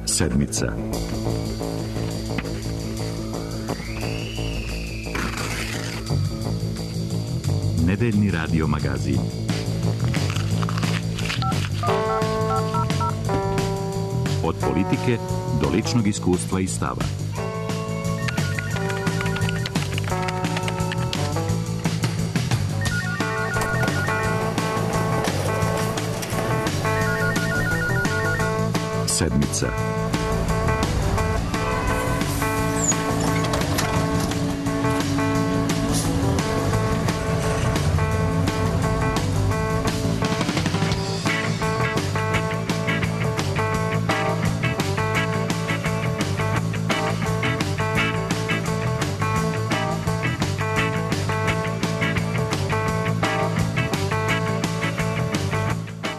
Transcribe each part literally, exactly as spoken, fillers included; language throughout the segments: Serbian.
Sedmica. Nedeljni radio magazin. Od politike do ličnog iskustva i stava. Sedmica.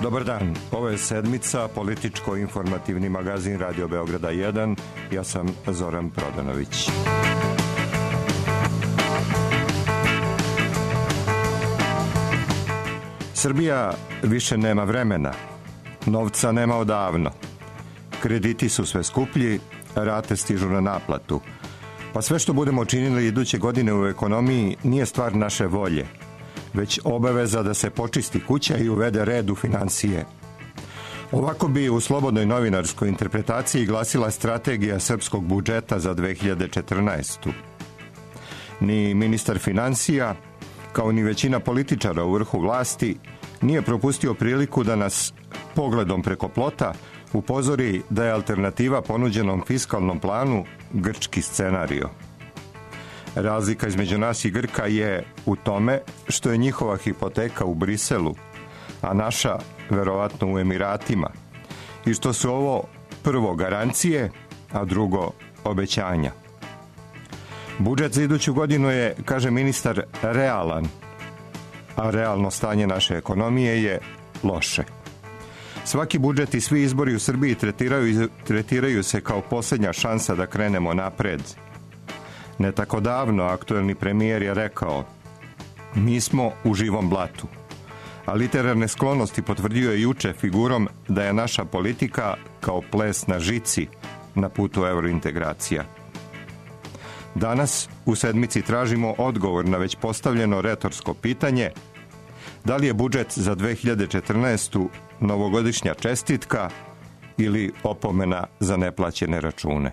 Dobar dan, ovo je Sedmica, političko-informativni magazin Radio Beograda jedan. Ja sam Zoran Prodanović. Srbija više nema vremena, novca nema odavno. Krediti su sve skuplji, rate stižu na naplatu. Pa sve što budemo činili iduće godine u ekonomiji nije stvar naše volje, već obaveza da se počisti kuća i uvede red u finansije. Ovako bi u slobodnoj novinarskoj interpretaciji glasila strategija srpskog budžeta za dve hiljade četrnaestu. Ni ministar finansija, kao ni većina političara u vrhu vlasti, nije propustio priliku da nas pogledom preko plota upozori da je alternativa ponuđenom fiskalnom planu grčki scenario. Razlika između nas i Grka je u tome što je njihova hipoteka u Briselu, a naša verovatno u Emiratima, i što su ovo prvo garancije, a drugo obećanja. Budžet za iduću godinu je, kaže ministar, realan, a realno stanje naše ekonomije je loše. Svaki budžet i svi izbori u Srbiji tretiraju, tretiraju se kao posljednja šansa da krenemo napred. Ne tako davno aktuelni premijer je rekao: mi smo u živom blatu. A literarne sklonosti potvrdio je juče figurom da je naša politika kao ples na žici na putu eurointegracija. Danas u Sedmici tražimo odgovor na već postavljeno retorsko pitanje: da li je budžet za dve hiljade četrnaestu novogodišnja čestitka ili opomena za neplaćene račune?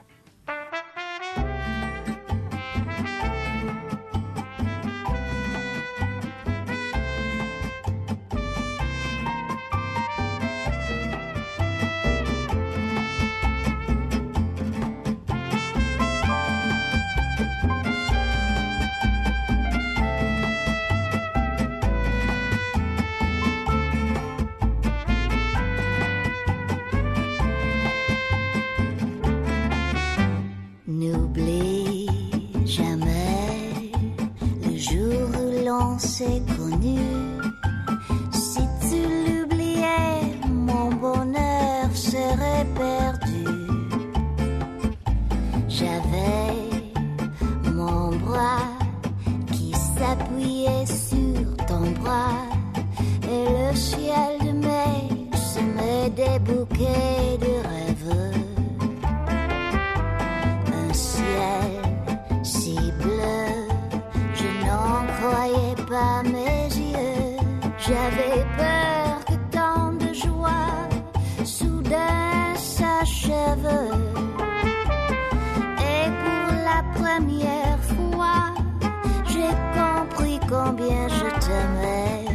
Combien je t'aimais,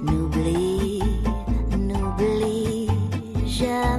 n'oublie, n'oublie jamais.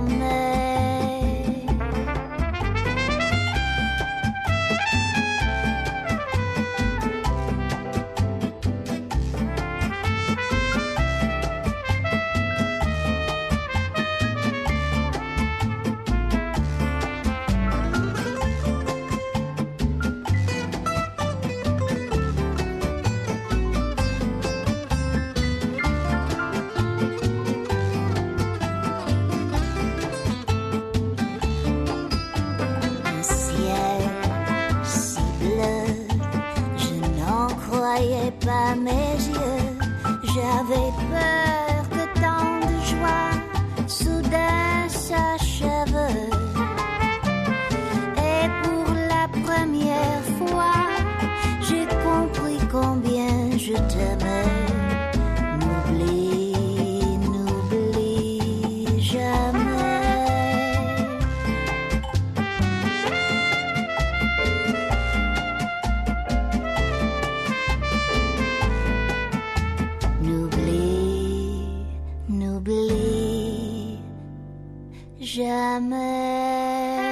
jamais.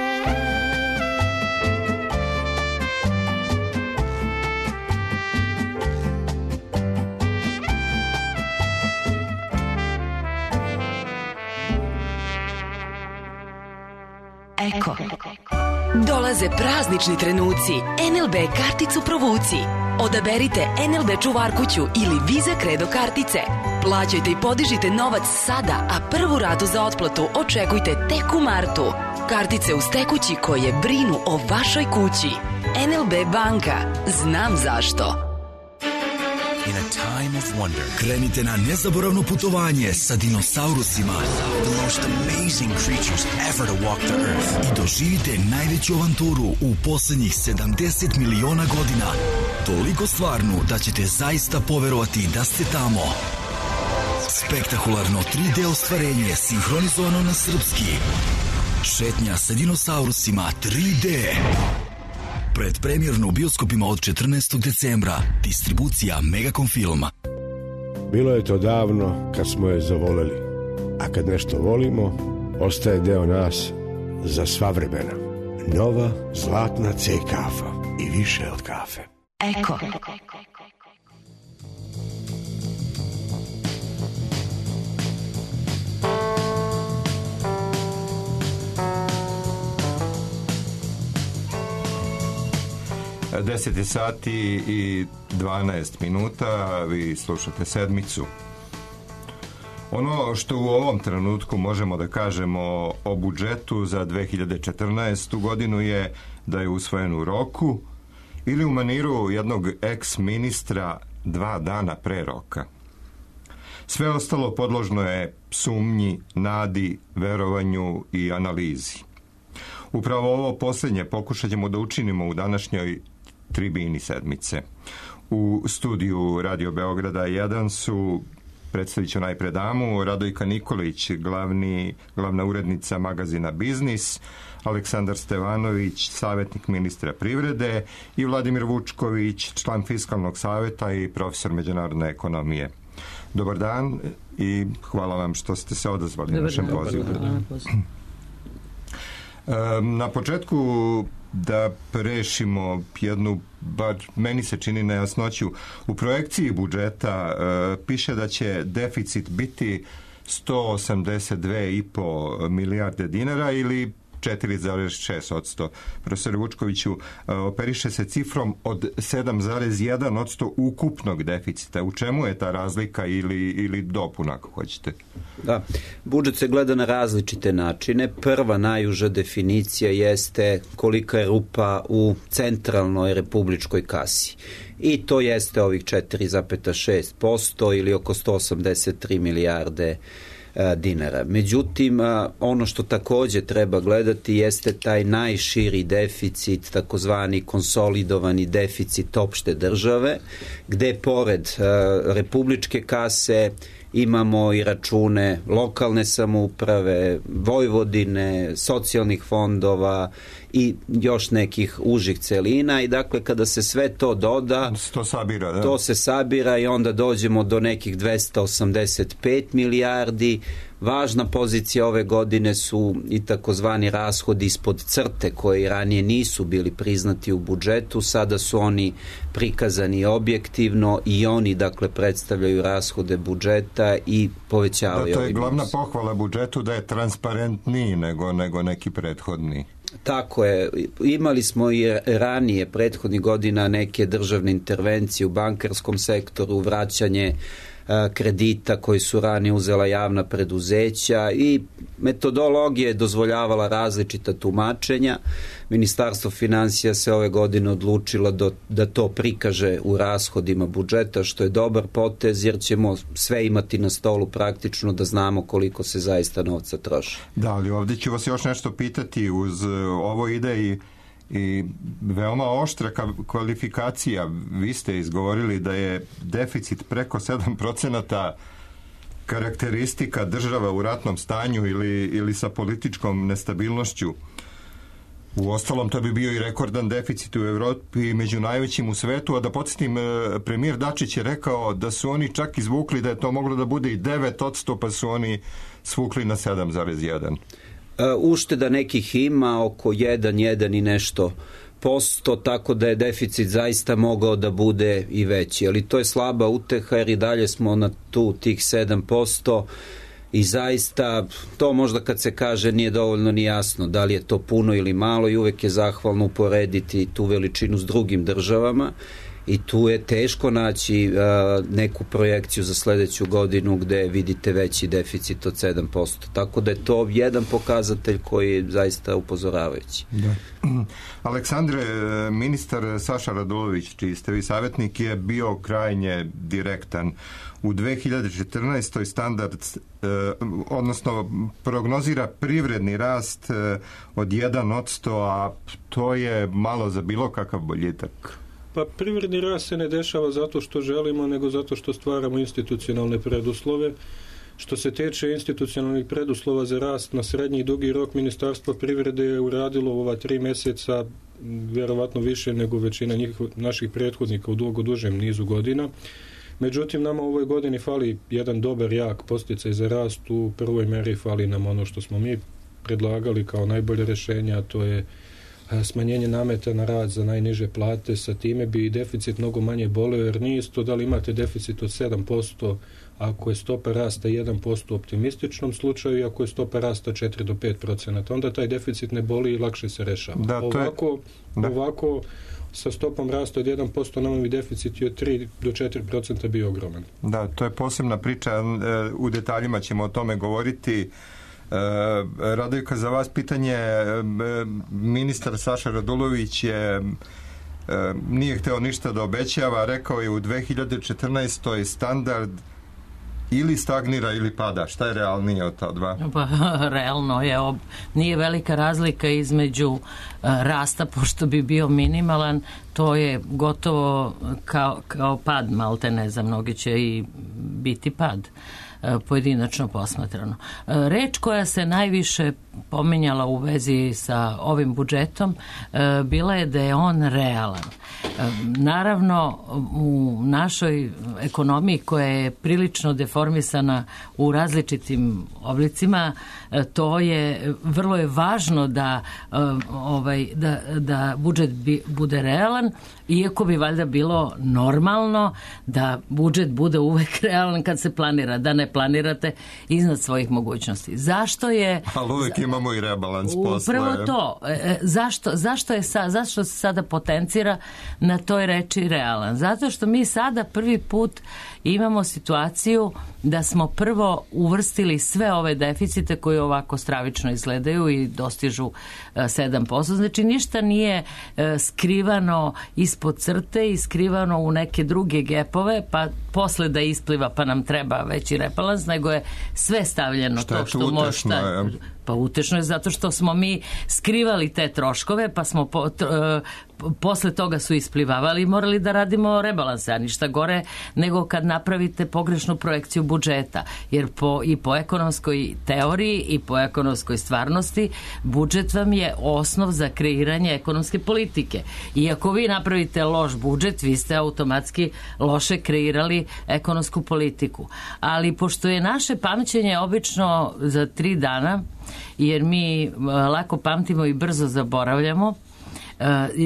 Eko. Dolaze praznični trenuci. en el be karticu provuci. Odaberite en el be čuvarkuću ili Visa Credo kartice. Plaćajte i podižite novac sada, a prvu ratu za otplatu očekujte tek u martu. Kartice uz tekući koje brinu o vašoj kući. en el be banka. Znam zašto. In a time of wonder, krenite na nezaboravno putovanje sa dinosaurusima. The most amazing creatures ever to walk the earth. I doživite najveću avanturu u poslednjih sedamdeset miliona godina. Toliko stvarnu da ćete zaista poverovati da ste tamo. Spektakularno tri de ostvarenje sinhronizovano na srpski. Šetnja sa dinosaurusima tri de. Predpremjerno u bioskopima od četrnaestog decembra. Distribucija Megacom Filma. Bilo je to davno kad smo je zavoleli. A kad nešto volimo, ostaje deo nas za sva vremena. Nova zlatna C kafa i više od kafe. Eko. deset sati i dvanaest minuta, vi slušate Sedmicu. Ono što u ovom trenutku možemo da kažemo o budžetu za dve hiljade četrnaestu godinu je da je usvojen u roku ili u maniru jednog eks-ministra dva dana pre roka. Sve ostalo podložno je sumnji, nadi, verovanju i analizi. Upravo ovo posljednje pokušat ćemo da učinimo u današnjoj tribini Sedmice. U studiju Radio Beograda jedan su, predstavit ću najpre damu, Radojka Nikolić, glavni, glavna urednica magazina Biznis, Aleksandar Stevanović, savjetnik ministra privrede i Vladimir Vučković, član Fiskalnog savjeta i profesor međunarodne ekonomije. Dobar dan i hvala vam što ste se odazvali na našem pozivu. Na početku da prešimo jednu, bar meni se čini nejasnoću. U projekciji budžeta uh, piše da će deficit biti sto osamdeset dve i po milijarde dinara ili četiri zarez šest posto. Profesor Vučkoviću, uh, operiše se cifrom od sedam zarez jedan posto ukupnog deficita. U čemu je ta razlika ili, ili dopuna, ako hoćete? Da, budžet se gleda na različite načine. Prva najuža definicija jeste kolika je rupa u centralnoj republičkoj kasi. I to jeste ovih četiri zarez šest posto ili oko sto osamdeset tri milijarde dinara. Međutim, ono što takođe treba gledati jeste taj najširi deficit, takozvani konsolidovani deficit opšte države, gde pored republičke kase imamo i račune lokalne samouprave, Vojvodine, socijalnih fondova i još nekih užih celina i dakle kada se sve to doda, to, sabira, da. to se sabira i onda dođemo do nekih dvesta osamdeset pet milijardi. Važna pozicija ove godine su i takozvani rashodi ispod crte koji ranije nisu bili priznati u budžetu, sada su oni prikazani objektivno i oni dakle predstavljaju rashode budžeta i povećavaju. Da, to je glavna pohvala budžetu da je transparentniji nego, nego neki prethodni. Tako je. Imali smo i ranije prethodnih godina neke državne intervencije u bankarskom sektoru, vraćanje kredita koji su ranije uzela javna preduzeća i metodologija je dozvoljavala različita tumačenja. Ministarstvo finansija se ove godine odlučilo do, da to prikaže u rashodima budžeta, što je dobar potez jer ćemo sve imati na stolu praktično da znamo koliko se zaista novca troši. Da, ali ovdje ću vas još nešto pitati. Uz ovo ide i i veoma oštra kvalifikacija. Vi ste izgovorili da je deficit preko sedam procenata karakteristika država u ratnom stanju ili, ili sa političkom nestabilnošću. U ostalom, to bi bio i rekordan deficit u Evropi i među najvećim u svetu, a da podsjetim, premijer Dačić je rekao da su oni čak izvukli da je to moglo da bude i devet posto, pa su oni svukli na sedam zarez jedan. Ušteda nekih ima oko jedan, jedan i nešto posto, tako da je deficit zaista mogao da bude i veći. Ali to je slaba uteha jer i dalje smo na tu tih sedam posto i zaista to možda kad se kaže nije dovoljno ni jasno da li je to puno ili malo i uvek je zahvalno uporediti tu veličinu s drugim državama. I tu je teško naći a, neku projekciju za sledeću godinu gde vidite veći deficit od sedam posto. Tako da je to jedan pokazatelj koji je zaista upozoravajući. Da. Aleksandre, ministar Saša Radulović, čiji ste vi savjetnik, je bio krajnje direktan. U dve hiljade četrnaestoj standard, eh, odnosno prognozira privredni rast eh, od jedan posto, a to je malo za bilo kakav boljitak. Pa privredni rast se ne dešava zato što želimo, nego zato što stvaramo institucionalne preduslove. Što se tiče institucionalnih preduslova za rast na srednji i dugi rok, Ministarstvo privrede je uradilo ova tri mjeseca vjerovatno više nego većina njih, naših prethodnika u dugo dužem nizu godina. Međutim, nama u ovoj godini fali jedan dobar, jak podsticaj za rast. U prvoj meri fali nam ono što smo mi predlagali kao najbolje rješenje, a to je smanjenje nameta na rad za najniže plate. Sa time bi i deficit mnogo manje boleo, jer nije isto da li imate deficit od sedam posto ako je stopa rasta jedan posto u optimističnom slučaju i ako je stopa rasta četiri do pet procenata. Onda taj deficit ne boli i lakše se rešava. Da, ovako, je, da. ovako sa stopom rasta od jedan posto nama bi deficit od tri do četiri procenta bio ogroman. Da, to je posebna priča. U detaljima ćemo o tome govoriti. Radojka, za vas pitanje. Ministar Saša Radulović je nije hteo ništa da obećava, rekao je u dve hiljade četrnaestoj standard ili stagnira ili pada. Šta je realnije od ta dva? Pa, realno je, ob... nije velika razlika između uh, rasta, pošto bi bio minimalan, to je gotovo kao, kao pad, malte ne za mnogi će i biti pad pojedinačno posmatrano. Reč koja se najviše pominjala u vezi sa ovim budžetom bila je da je on realan. Naravno, u našoj ekonomiji koja je prilično deformisana u različitim oblicima, to je vrlo je važno da ovaj da, da budžet bi, bude realan, iako bi valjda bilo normalno da budžet bude uvek realan kad se planira, da ne planirate iznad svojih mogućnosti. Zašto je... Ali uvek imamo i rebalans posle. Upravo to. Zašto, zašto, je sa, zašto se sada potencira na toj reči realan? Zato što mi sada prvi put imamo situaciju da smo prvo uvrstili sve ove deficite koji ovako stravično izgledaju i dostižu sedam posto. Znači ništa nije skrivano ispod crte i skrivano u neke druge gepove, pa posle da ispliva pa nam treba veći rebalans, nego je sve stavljeno. Šta to što može. Pa utešno je zato što smo mi skrivali te troškove, pa smo po, tr, posle toga su isplivavali i morali da radimo rebalanse, a ništa gore nego kad napravite pogrešnu projekciju budžeta, jer po, i po ekonomskoj teoriji i po ekonomskoj stvarnosti budžet vam je osnov za kreiranje ekonomske politike. I ako vi napravite loš budžet, vi ste automatski loše kreirali ekonomsku politiku. Ali pošto je naše pamćenje obično za tri dana, jer mi lako pamtimo i brzo zaboravljamo,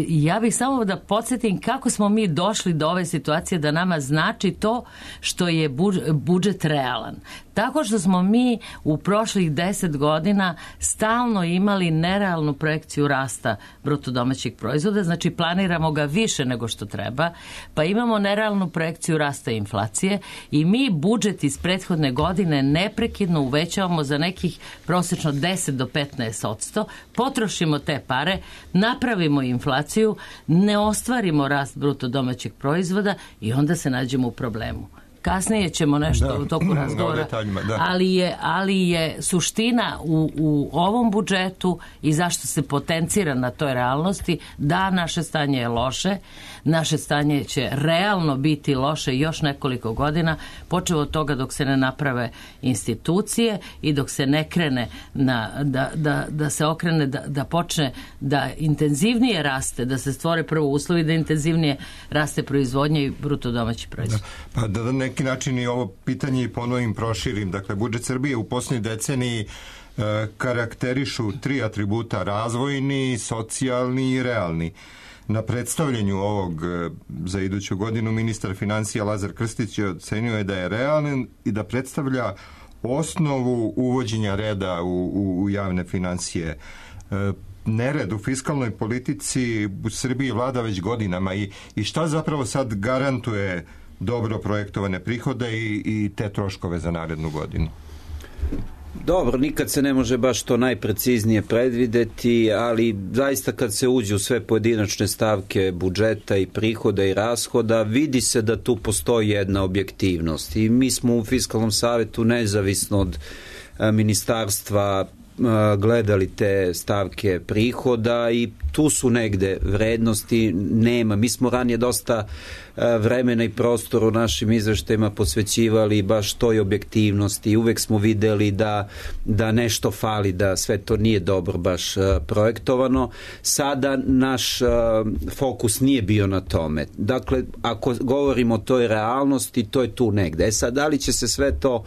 ja bih samo da podsjetim kako smo mi došli do ove situacije da nama znači to što je budžet realan. Tako što smo mi u prošlih deset godina stalno imali nerealnu projekciju rasta bruto domaćeg proizvoda, znači planiramo ga više nego što treba, pa imamo nerealnu projekciju rasta inflacije i mi budžet iz prethodne godine neprekidno uvećavamo za nekih prosečno deset do petnaest posto, potrošimo te pare, napravimo inflaciju, ne ostvarimo rast bruto domaćeg proizvoda i onda se nađemo u problemu. Kasnije ćemo nešto da, u toku razgovora, ali je, ali je suština u, u ovom budžetu i zašto se potencira na toj realnosti da naše stanje je loše, naše stanje će realno biti loše još nekoliko godina, počev od toga dok se ne naprave institucije i dok se ne krene na, da, da, da se okrene, da, da počne da intenzivnije raste, da se stvore prvo uslovi da intenzivnije raste proizvodnje i bruto domaći proizvod. Da, pa da, da ne neki način i ovo pitanje i ponovim proširim. Dakle, budžet Srbije u posljednjoj deceniji e, karakterišu tri atributa: razvojni, socijalni i realni. Na predstavljanju ovog za iduću godinu ministar financija Lazar Krstić ocenio je da je realan i da predstavlja osnovu uvođenja reda u, u, u javne financije. E, nered u fiskalnoj politici u Srbiji vlada već godinama i, i šta zapravo sad garantuje dobro projektovane prihode i, i te troškove za narednu godinu? Dobro, nikad se ne može baš to najpreciznije predvideti, ali zaista kad se uđe u sve pojedinačne stavke budžeta i prihoda i rashoda, vidi se da tu postoji jedna objektivnost. I mi smo u Fiskalnom savetu nezavisno od ministarstva gledali te stavke prihoda i tu su negde vrednosti, nema. Mi smo ranije dosta vremena i prostora u našim izveštajima posvećivali baš toj objektivnosti i uvek smo videli da, da nešto fali, da sve to nije dobro baš projektovano. Sada naš fokus nije bio na tome. Dakle, ako govorimo o toj realnosti, to je tu negde. E sad, da li će se sve to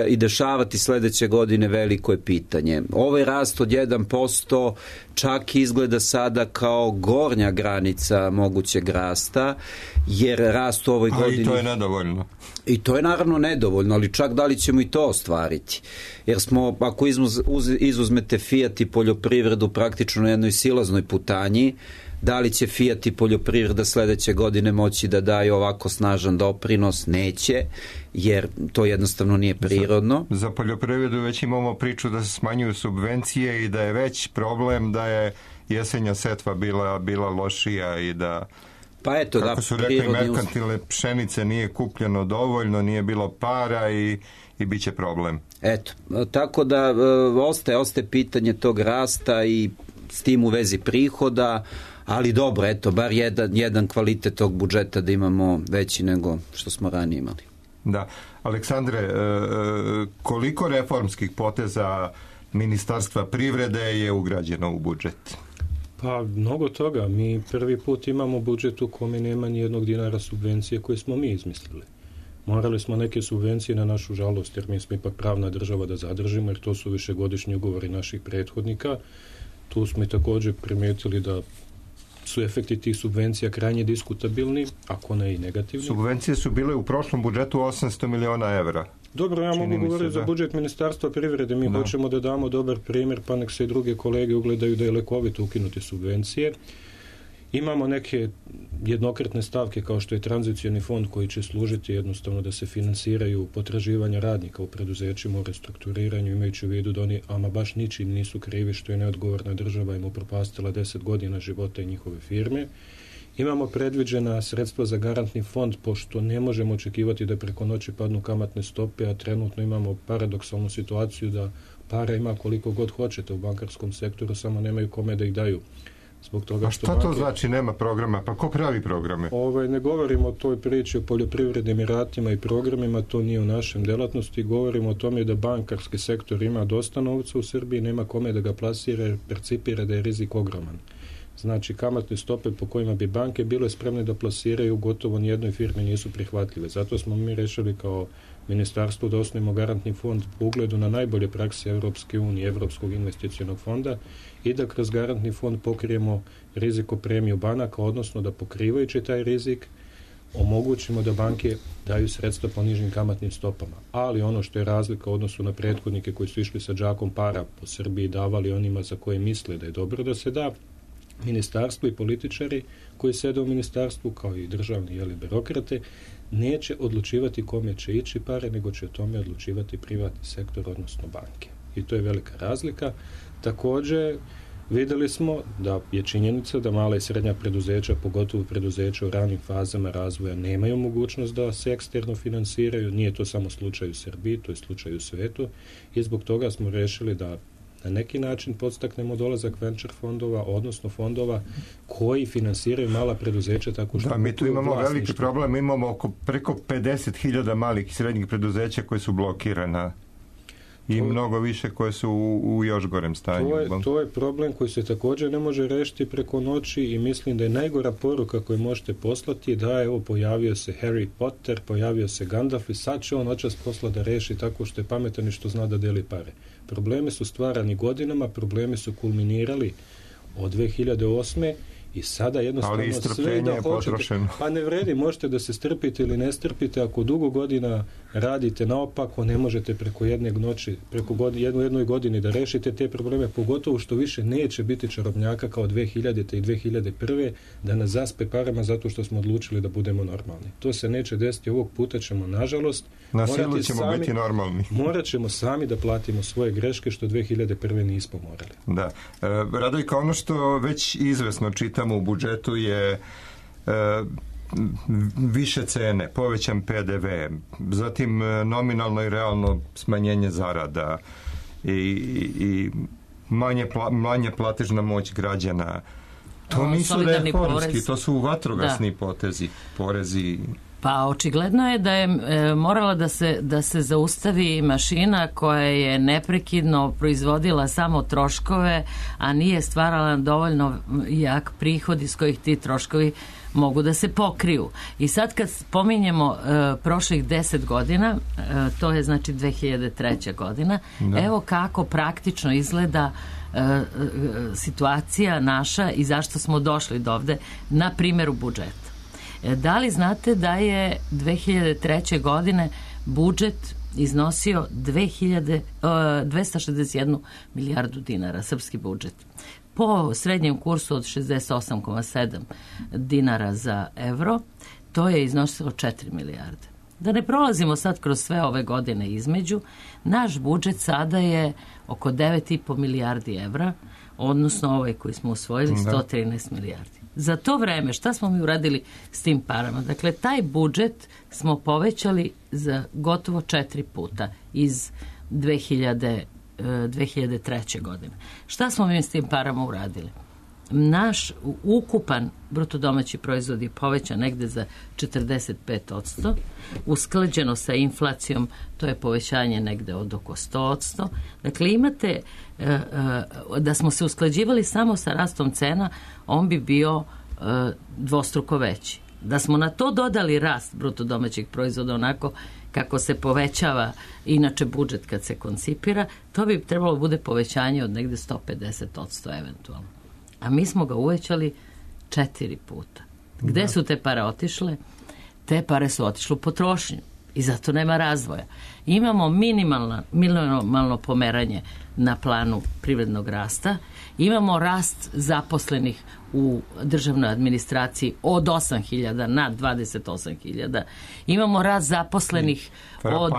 i dešavati sledeće godine, veliko je pitanje. Ovaj rast od jedan posto čak izgleda sada kao gornja granica mogućeg rasta, jer rast u ovoj A godini... i to je nedovoljno. I to je naravno nedovoljno, ali čak da li ćemo i to ostvariti. Jer smo, ako izuz, izuzmete Fiat i poljoprivredu praktično na jednoj silaznoj putanji, da li će Fiat i poljoprivreda sledeće godine moći da daju ovako snažan doprinos? Neće, jer to jednostavno nije prirodno. Za, za poljoprivredu već imamo priču da se smanjuju subvencije i da je već problem da je jesenja setva bila, bila lošija i da... Pa eto, kako da, su rekli, merkantilne pšenice nije kupljeno dovoljno, nije bilo para i, i bit će problem. Eto, tako da ostaje, ostaje pitanje tog rasta i s tim u vezi prihoda, ali dobro, eto, bar jedan, jedan kvalitet tog budžeta da imamo veći nego što smo ranije imali. Da. Aleksandre, koliko reformskih poteza Ministarstva privrede je ugrađeno u budžet? Pa, mnogo toga. Mi prvi put imamo budžet u kome nema ni jednog dinara subvencije koje smo mi izmislili. Morali smo neke subvencije na našu žalost, jer mi smo ipak pravna država da zadržimo, jer to su višegodišnji ugovori naših prethodnika. Tu smo i također primijetili da su efekti tih subvencija krajnje diskutabilni, ako ne i negativni. Subvencije su bile u prošlom budžetu osamsto miliona evra. Dobro, ja mogu govoriti za budžet Ministarstva privrede. Mi da. hoćemo da damo dobar primjer, pa nek se i druge kolege ugledaju da je lekovito ukinuti subvencije. Imamo neke jednokratne stavke kao što je tranzicioni fond koji će služiti jednostavno da se finansiraju potraživanja radnika u preduzećima u restrukturiranju, imajući u vidu da oni ama baš ničim nisu krivi što je neodgovorna država im upropastila deset godina života i njihove firme. Imamo predviđena sredstva za garantni fond, pošto ne možemo očekivati da preko noći padnu kamatne stope, a trenutno imamo paradoksalnu situaciju da para ima koliko god hoćete u bankarskom sektoru, samo nemaju kome da ih daju. Zbog toga a što šta banke... to znači nema programa? Pa ko pravi programe? Ovaj, ne govorimo o toj priči o poljoprivrednim iratima i programima, to nije u našem delatnosti. Govorimo o tome da bankarski sektor ima dosta novca u Srbiji, nema kome da ga plasira jer percipira da je rizik ogroman. Znači, kamatne stope po kojima bi banke bile spremne da plasiraju gotovo nijednoj firmi nisu prihvatljive. Zato smo mi rešili kao ministarstvo da osnovimo garantni fond po ugledu na najbolje prakse Evropske unije, Evropskog investicionog fonda i da kroz garantni fond pokrijemo riziko premiju banaka, odnosno da pokrivajući taj rizik omogućimo da banke daju sredstva po nižim kamatnim stopama. Ali ono što je razlika u odnosu na prethodnike koji su išli sa džakom para po Srbiji davali onima za koje misle da je dobro da se da, ministarstvo i političari koji sede u ministarstvu kao i državni jeli, birokrate neće odlučivati kome će ići pare, nego će o tome odlučivati privatni sektor, odnosno banke. I to je velika razlika. Također, videli smo da je činjenica da mala i srednja preduzeća, pogotovo preduzeća u ranim fazama razvoja, nemaju mogućnost da se eksterno finansiraju. Nije to samo slučaj u Srbiji, to je slučaj u svetu i zbog toga smo rešili da na neki način podstaknemo dolazak venture fondova, odnosno fondova koji finansiraju mala preduzeća tako što... Da, mi tu imamo veliki problem, imamo oko preko pedeset hiljada malih i srednjih preduzeća koje su blokirana. i mnogo više koje su u, u još gorem stanju. To je, to je problem koji se također ne može rešiti preko noći i mislim da je najgora poruka koju možete poslati da evo pojavio se Harry Potter, pojavio se Gandalf i sad će on očas posla da reši tako što je pametan i što zna da deli pare. Problemi su stvarani godinama, problemi su kulminirali od dve hiljade osme i sada jednostavno sve da hoćete, pa ne vredi, možete da se strpite ili ne strpite, ako dugo godina radite naopako, ne možete preko jedne noći, preko godin, jednu, jednoj godini da rešite te probleme, pogotovo što više neće biti čarobnjaka kao dve hiljadite i dve hiljade prve da nas zaspe parama zato što smo odlučili da budemo normalni. To se neće desiti, ovog puta ćemo, nažalost, na silu ćemo sami, biti normalni. Morat ćemo sami da platimo svoje greške što dve hiljade prve nismo morali. Da. E, Radojka, ono što već izvesno čitamo u budžetu je e, više cene, povećan P D V, zatim nominalno i realno smanjenje zarada i, i manje, pla, manje platežna moć građana. To o, nisu reformski, to su vatrogasni da. potezi, porezi. Pa očigledno je da je e, morala da se, da se zaustavi mašina koja je neprekidno proizvodila samo troškove, a nije stvarala dovoljno jak prihod iz kojih ti troškovi mogu da se pokriju. I sad kad spominjemo e, prošlih deset godina, e, to je znači dve hiljade treća godina, da. Evo kako praktično izgleda e, e, situacija naša i zašto smo došli do ovde na primjeru budžeta. Da li znate da je dve hiljade treće godine budžet iznosio dve hiljade, dvesta šezdeset jednu milijardu dinara, srpski budžet. Po srednjem kursu od šezdeset osam zarez sedam dinara za evro, to je iznosilo četiri milijarde. Da ne prolazimo sad kroz sve ove godine između, naš budžet sada je oko devet i po milijardi evra, odnosno ovaj koji smo usvojili sto trinaest milijardi. Za to vreme šta smo mi uradili s tim parama? Dakle, taj budžet smo povećali za gotovo četiri puta iz dve hiljade, dve hiljade treće godine. Šta smo mi s tim parama uradili? Naš ukupan bruto domaći proizvod je povećan negde za četrdeset pet posto, usklađeno sa inflacijom to je povećanje negde od oko sto posto. Dakle, imate da smo se usklađivali samo sa rastom cena, on bi bio dvostruko veći. Da smo na to dodali rast bruto domaćeg proizvoda onako kako se povećava inače budžet kad se koncipira, to bi trebalo bude povećanje od negde sto pedeset posto eventualno. A mi smo ga uvećali četiri puta. Gde da. su te pare otišle? Te pare su otišle u potrošnju i zato nema razvoja. Imamo minimalno, minimalno pomeranje na planu privrednog rasta, imamo rast zaposlenih u državnoj administraciji od osam hiljada na dvadeset osam hiljada. Imamo rast zaposlenih od,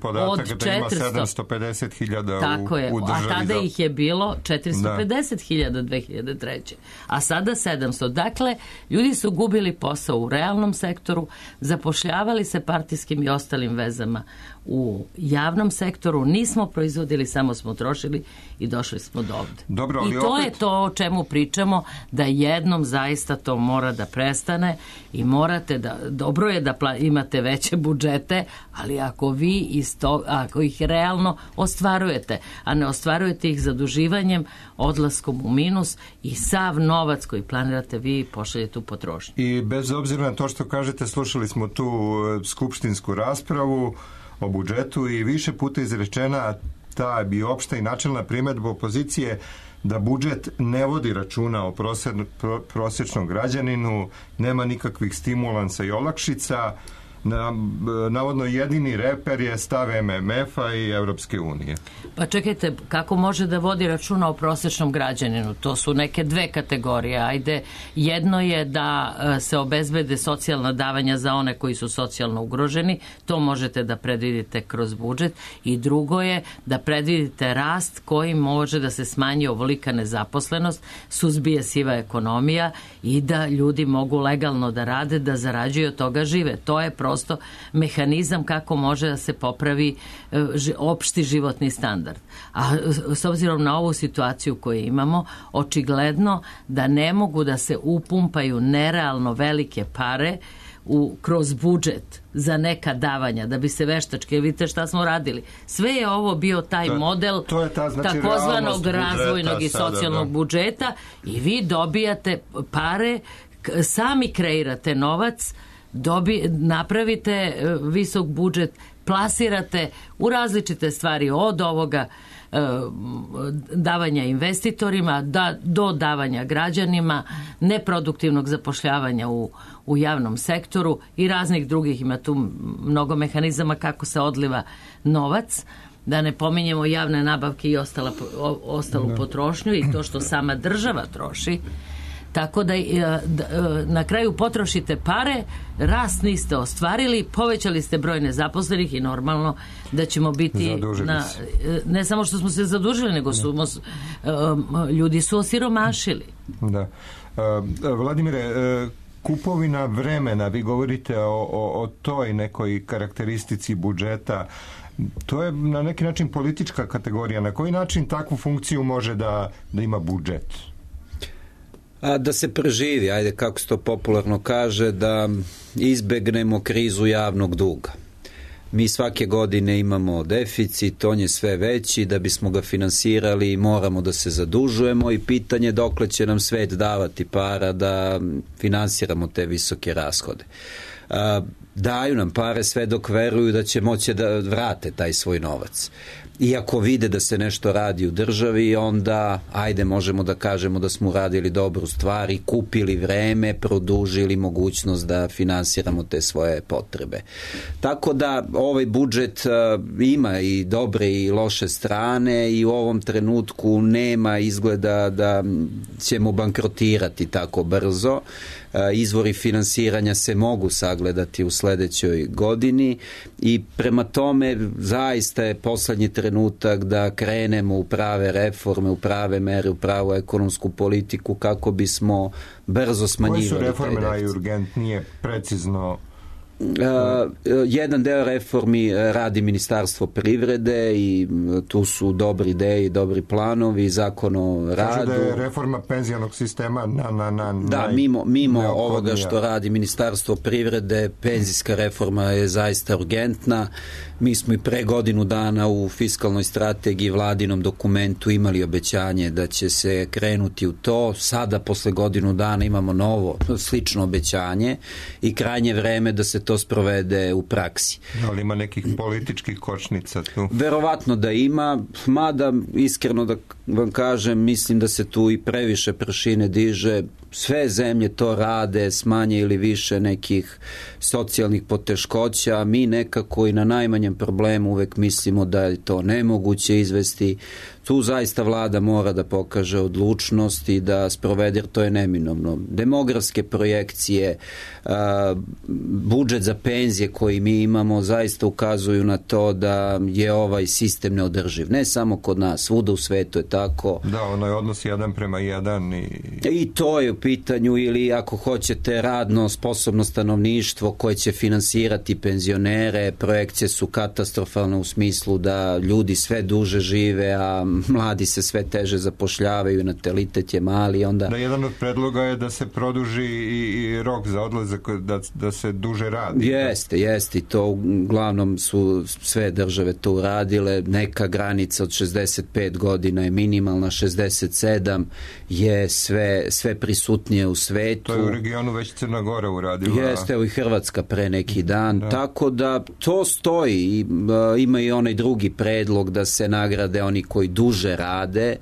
od četiristo. Da ima sedamsto pedeset hiljada Tako u, je, u državi. A tada za... ih je bilo četiristo pedeset hiljada dve hiljade treće. A sada sedamsto. Dakle, ljudi su gubili posao u realnom sektoru, zapošljavali se partijskim i ostalim vezama u javnom sektoru, nismo proizvodili, samo smo trošili i došli smo do ovde. Dobro, ali I to opet... je to o čemu pričamo, da jednom zaista to mora da prestane i morate da, dobro je da pla, imate veće budžete, ali ako vi isto, ako ih realno ostvarujete, a ne ostvarujete ih zaduživanjem, odlaskom u minus i sav novac koji planirate vi pošaljete u potrošnju. I bez obzira na to što kažete, slušali smo tu skupštinsku raspravu o budžetu i više puta izrečena ta bi opšta i načelna primedba opozicije da budžet ne vodi računa o prosječnom građaninu, nema nikakvih stimulansa i olakšica. Na, navodno jedini reper je stav em em ef-a i Evropske unije. Pa čekajte, kako može da vodi računa o prosječnom građaninu? To su neke dve kategorije. Ajde, jedno je da se obezbede socijalna davanja za one koji su socijalno ugroženi, to možete da predvidite kroz budžet, i drugo je da predvidite rast koji može da se smanji ovolika nezaposlenost, suzbije siva ekonomija i da ljudi mogu legalno da rade, da zarađuju, od toga žive. To je prosto mehanizam kako može da se popravi opšti životni standard. A s obzirom na ovu situaciju koju imamo, očigledno da ne mogu da se upumpaju nerealno velike pare u, kroz budžet za neka davanja, da bi se veštačke, vidite šta smo radili. Sve je ovo bio taj to, model to je ta, znači, takozvanog razvojnog i socijalnog sada, budžeta i vi dobijate pare, sami kreirate novac, dobi, napravite visok budžet, plasirate u različite stvari od ovoga davanja investitorima da, do davanja građanima, neproduktivnog zapošljavanja u, u javnom sektoru i raznih drugih, ima tu mnogo mehanizama kako se odliva novac, da ne pominjemo javne nabavke i ostala, o, ostalu no. potrošnju i to što sama država troši. Tako da, da na kraju potrošite pare, rast niste ostvarili, povećali ste broj nezaposlenih i normalno da ćemo biti na, ne samo što smo se zadužili, nego su, ljudi su osiromašili. Da. Vladimire, kupovina vremena, vi govorite o, o, o toj nekoj karakteristici budžeta, to je na neki način politička kategorija. Na koji način takvu funkciju može da, da ima budžet? A da se preživi, ajde kako se to popularno kaže, da izbegnemo krizu javnog duga. Mi svake godine imamo deficit, on je sve veći, da bismo ga finansirali moramo da se zadužujemo i pitanje dokle će nam svet davati para da finansiramo te visoke rashode. A, daju nam pare sve dok veruju da će moći da vrate taj svoj novac. Iako vide da se nešto radi u državi, onda, ajde, možemo da kažemo da smo uradili dobru stvar i kupili vreme, produžili mogućnost da finansiramo te svoje potrebe. Tako da ovaj budžet uh, ima i dobre i loše strane i u ovom trenutku nema izgleda da ćemo bankrotirati tako brzo. Izvori finansiranja se mogu sagledati u sledećoj godini i prema tome zaista je poslednji trenutak da krenemo u prave reforme, u prave mere, u pravu ekonomsku politiku kako bismo brzo smanjivali. Koje su reforme najurgentnije, precizno? Uh, jedan deo reformi radi Ministarstvo privrede i tu su dobri ideje i dobri planovi, zakon o radu. Kaže da je reforma penzionog sistema na, na, na da, mimo, mimo ovoga što radi Ministarstvo privrede, penzijska reforma je zaista urgentna. Mi smo i pre godinu dana u fiskalnoj strategiji vladinom dokumentu imali obećanje da će se krenuti u to. Sada posle godinu dana imamo novo slično obećanje i krajnje vreme da se to sprovede u praksi. Ali ima nekih političkih kočnica tu? Verovatno da ima, mada iskreno da vam kažem, mislim da se tu i previše prašine diže. Sve zemlje to rade, smanje ili više nekih socijalnih poteškoća. Mi nekako i na najmanjem problemu uvek mislimo da je to nemoguće izvesti. Tu zaista vlada mora da pokaže odlučnost i da sprovede, jer to je neminovno. Demografske projekcije, budžet za penzije koji mi imamo zaista ukazuju na to da je ovaj sistem neodrživ. Ne samo kod nas, svuda u svetu je tako. Da, ono je odnos jedan prema jedan. I, I to je u pitanju, ili ako hoćete radno sposobno stanovništvo koje će finansirati penzionere, projekcije su katastrofalne u smislu da ljudi sve duže žive, a mladi se sve teže zapošljavaju, natalitet je mali, onda... Da, jedan od predloga je da se produži i, i rok za odlazak, da, da se duže radi. Jeste, jeste, i to uglavnom su sve države to uradile. Neka granica od šezdeset pet godina je minimalna, šezdeset sedam je sve, sve prisutnije u svetu. To je u regionu već Crna Gora uradila. Jeste, evo i Hrvatska pre neki dan. Da. Tako da to stoji. Ima i onaj drugi predlog da se nagrade oni koji duže rade,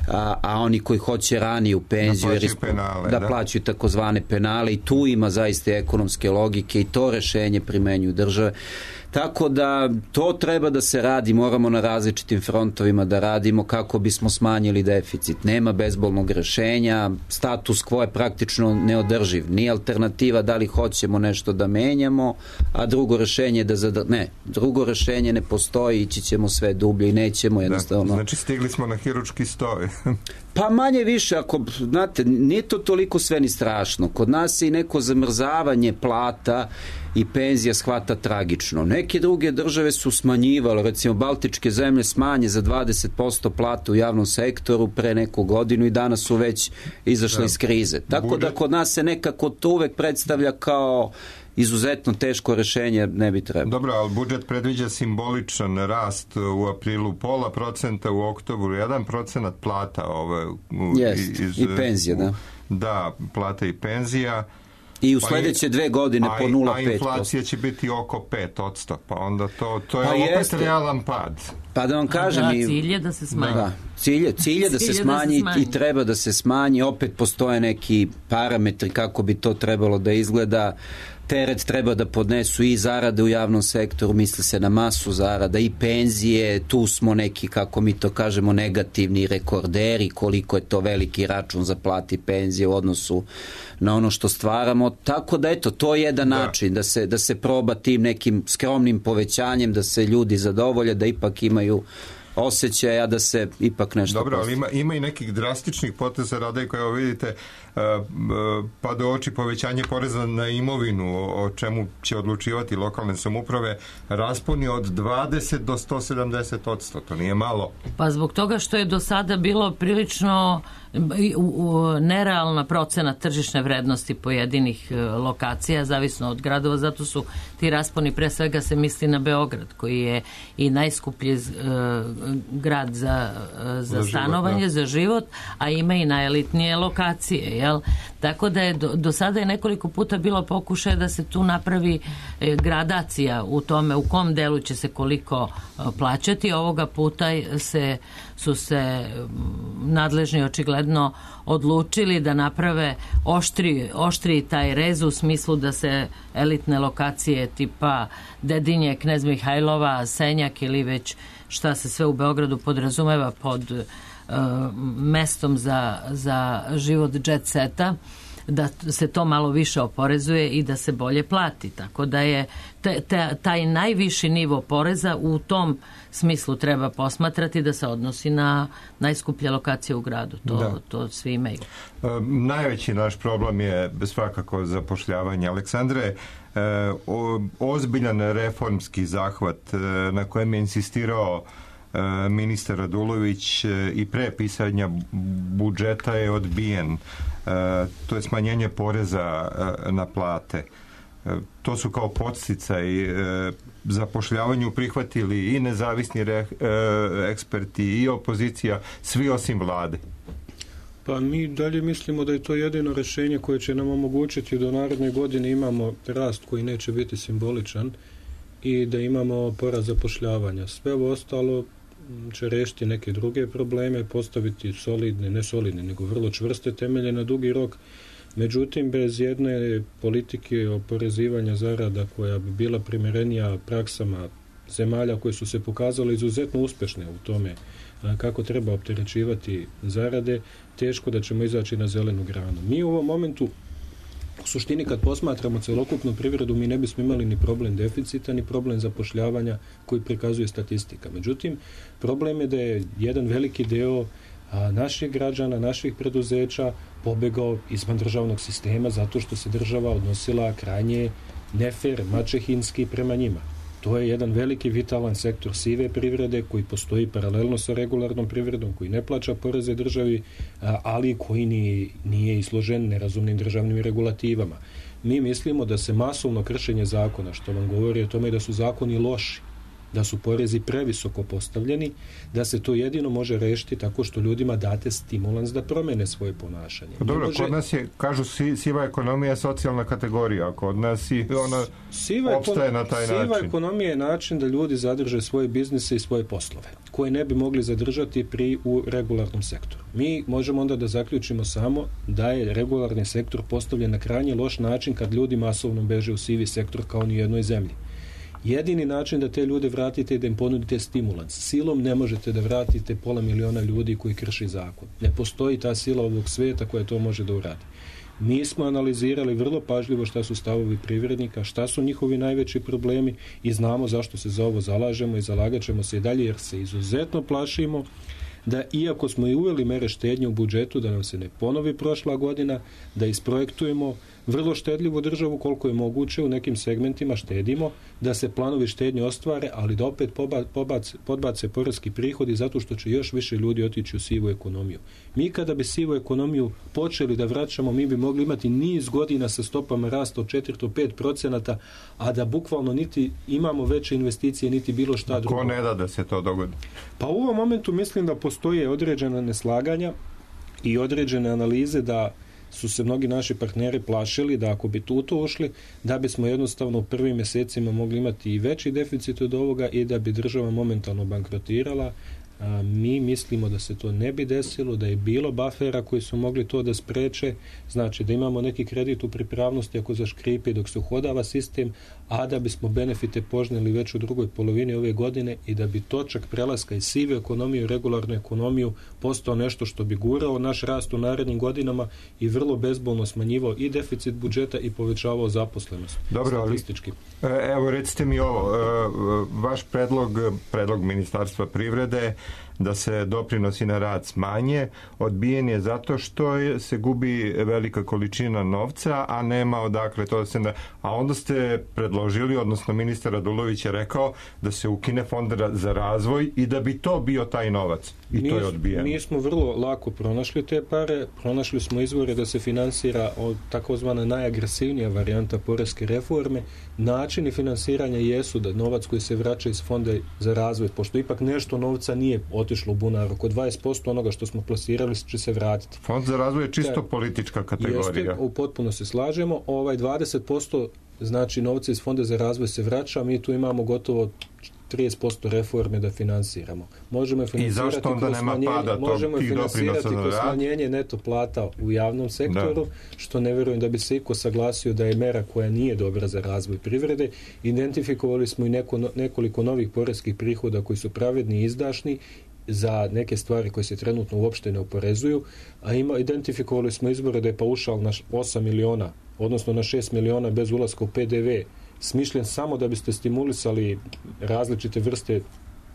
a, a oni koji hoće ranije u penziju da plaćaju penale, da, da. plaćaju takozvane penale, i tu ima zaista ekonomske logike i to rešenje primenjuju države. Tako da to treba da se radi, moramo na različitim frontovima da radimo kako bismo smanjili deficit. Nema bezbolnog rešenja, status quo je praktično neodrživ. Nije alternativa da li hoćemo nešto da menjamo, a drugo rešenje da zadr... ne, drugo rešenje ne postoji, ići ćemo sve dublje i nećemo jednostavno. Da, znači stigli smo na hirurški stoj. Pa manje više, ako, znate, nije to toliko sve ni strašno. Kod nas je i neko zamrzavanje plata i penzija shvata tragično. Neke druge države su smanjivale, recimo Baltičke zemlje smanje za dvadeset posto plata u javnom sektoru pre neku godinu i danas su već izašle da. iz krize. Tako Budžet. Da kod nas se nekako to uvek predstavlja kao izuzetno teško rešenje, ne bi trebalo. Dobro, ali budžet predviđa simboličan rast u aprilu pola procenta, u oktobru jedan procenat plata. Ove, u, Jest, iz, i penzija, da. Da, plata i penzija. I u sledeće dve godine po nula zarez pet posto. A inflacija će biti oko pet posto, pa onda to, to je pa opet jeste. Realan pad. Pa da vam kažem... Da, cilj je da se smanji. Da, cilj je, cilj je da, se smanji, da se smanji i treba da se smanji. Opet postoje neki parametri kako bi to trebalo da izgleda. Teret treba da podnesu i zarade u javnom sektoru, misli se na masu zarada i penzije, tu smo neki, kako mi to kažemo, negativni rekorderi, koliko je to veliki račun za plati penzije u odnosu na ono što stvaramo, tako da eto, to je jedan da. način da se, da se proba tim nekim skromnim povećanjem, da se ljudi zadovolje, da ipak imaju osjećaja da se ipak nešto Dobro, postoji. ali ima, ima i nekih drastičnih poteza rada koje, evo vidite, pa do oči povećanje poreza na imovinu, o čemu će odlučivati lokalne samouprave, rasponi od dvadeset do sto sedamdeset odsto, to nije malo. Pa zbog toga što je do sada bilo prilično nerealna procena tržišne vrednosti pojedinih lokacija, zavisno od gradova, zato su ti rasponi, pre svega se misli na Beograd, koji je i najskuplji grad za, za, za stanovanje, život, za život, a ima i najelitnije lokacije, jel? Tako da je do, do sada je nekoliko puta bilo pokušaje da se tu napravi e, gradacija u tome u kom delu će se koliko e, plaćati. Ovoga puta se, su se nadležni očigledno odlučili da naprave oštri, oštri taj rez u smislu da se elitne lokacije tipa Dedinje, Knez Mihajlova, Senjak ili već šta se sve u Beogradu podrazumeva pod uh, mestom za, za život jet seta, da se to malo više oporezuje i da se bolje plati. Tako da je te, te, taj najviši nivo poreza u tom smislu treba posmatrati da se odnosi na najskuplje lokacije u gradu. To, to svi imaju. E, najveći naš problem je svakako zapošljavanje. Aleksandre, e, o, ozbiljan reformski zahvat e, na kojem je insistirao e, ministar Radulović e, i pre pisanja budžeta je odbijen. Uh, to je smanjenje poreza uh, na plate. Uh, to su kao podsticaj uh, zapošljavanju prihvatili i nezavisni re, uh, eksperti i opozicija, svi osim vlade. Pa mi dalje mislimo da je to jedino rešenje koje će nam omogućiti da u narednoj godini imamo rast koji neće biti simboličan i da imamo porast zapošljavanja. Sve ovo ostalo će rešiti neke druge probleme, postaviti solidne, ne solidne, nego vrlo čvrste temelje na dugi rok. Međutim, bez jedne politike oporezivanja zarada koja bi bila primerenija praksama zemalja koje su se pokazale izuzetno uspešne u tome kako treba opterećivati zarade, teško da ćemo izaći na zelenu granu. Mi u ovom momentu u suštini kad posmatramo celokupnu privredu mi ne bismo imali ni problem deficita ni problem zapošljavanja koji prikazuje statistika. Međutim, problem je da je jedan veliki deo a, naših građana, naših preduzeća pobegao izvan državnog sistema zato što se država odnosila krajnje nefer, mačehinski prema njima. To je jedan veliki vitalan sektor sive privrede koji postoji paralelno sa regularnom privredom, koji ne plaća poreze državi, ali koji ni, nije izložen nerazumnim državnim regulativama. Mi mislimo da se masovno kršenje zakona, što vam govori o tome da su zakoni loši, da su porezi previsoko postavljeni, da se to jedino može rešiti tako što ljudima date stimulans da promene svoje ponašanje. Dobro, može... kod nas je, kažu, siva ekonomija je socijalna kategorija, kod nas i ona siva opstaje ekon... na taj siva način. Siva ekonomija je način da ljudi zadrže svoje biznise i svoje poslove, koje ne bi mogli zadržati pri u regularnom sektoru. Mi možemo onda da zaključimo samo da je regularni sektor postavljen na krajnje loš način kad ljudi masovno beže u sivi sektor kao ni u jednoj zemlji. Jedini način da te ljude vratite je da im ponudite stimulans. Silom ne možete da vratite pola miliona ljudi koji krši zakon. Ne postoji ta sila ovog sveta koja to može da uradi. Mi smo analizirali vrlo pažljivo šta su stavovi privrednika, šta su njihovi najveći problemi i znamo zašto se za ovo zalažemo i zalagat ćemo se i dalje jer se izuzetno plašimo da iako smo i uveli mere štednje u budžetu, da nam se ne ponovi prošla godina, da isprojektujemo vrlo štedljivu državu koliko je moguće, u nekim segmentima štedimo, da se planovi štednje ostvare, ali da opet pobace, podbace poreski prihodi zato što će još više ljudi otići u sivu ekonomiju. Mi kada bi sivu ekonomiju počeli da vraćamo, mi bi mogli imati niz godina sa stopama rasta od četiri do pet procenata, a da bukvalno niti imamo veće investicije, niti bilo šta drugo. Ko ne da da se to dogodi? Pa u ovom momentu mislim da postoje određena neslaganja i određene analize da su se mnogi naši partneri plašili da ako bi tu to ušli, da bismo jednostavno u prvim mjesecima mogli imati i veći deficit od ovoga i da bi država momentalno bankrotirala. A, mi mislimo da se to ne bi desilo, da je bilo bafera koji su mogli to da spreče, znači da imamo neki kredit u pripravnosti ako zaškripi dok se uhodava sistem, a da bismo benefite požnjeli već u drugoj polovini ove godine i da bi točak prelaska iz sive ekonomije u regularnu ekonomiju postao nešto što bi gurao naš rast u narednim godinama i vrlo bezbolno smanjivao i deficit budžeta i povećavao zaposlenost. Dobro, statistički. Ali, evo recite mi ovo, vaš predlog, predlog Ministarstva privrede da se doprinosi na rad smanje, odbijen je zato što je, se gubi velika količina novca, a nema odakle to da se... Na... A onda ste predložili, odnosno ministar Radulović je rekao da se ukine fond za razvoj i da bi to bio taj novac. I mi, to je odbijeno. Mi smo vrlo lako pronašli te pare, pronašli smo izvore da se finansira od takozvana najagresivnija varijanta poreske reforme. Načini finansiranja jesu da novac koji se vraća iz fonda za razvoj, pošto ipak nešto novca nije otišlo u bunar, oko dvadeset posto onoga što smo plasirali će se vratiti. Fond za razvoj je čisto da, politička kategorija. Jeste, potpuno se slažemo. Ovaj dvadeset posto znači novca iz Fonda za razvoj se vraća, mi tu imamo gotovo trideset posto reforme da finansiramo. Možemo finansirati kroz smanjenje, možemo finansirati kroz smanjenje neto plata u javnom sektoru, da. Što ne vjerujem da bi se iko saglasio da je mera koja nije dobra za razvoj privrede. Identifikovali smo i neko, nekoliko novih poreskih prihoda koji su pravedni i izdašni za neke stvari koje se trenutno uopšte ne oporezuju, a ima, identifikovali smo izbore da je paušal na osam miliona, odnosno na šest miliona bez ulaska u P D V, smišljen samo da biste stimulisali različite vrste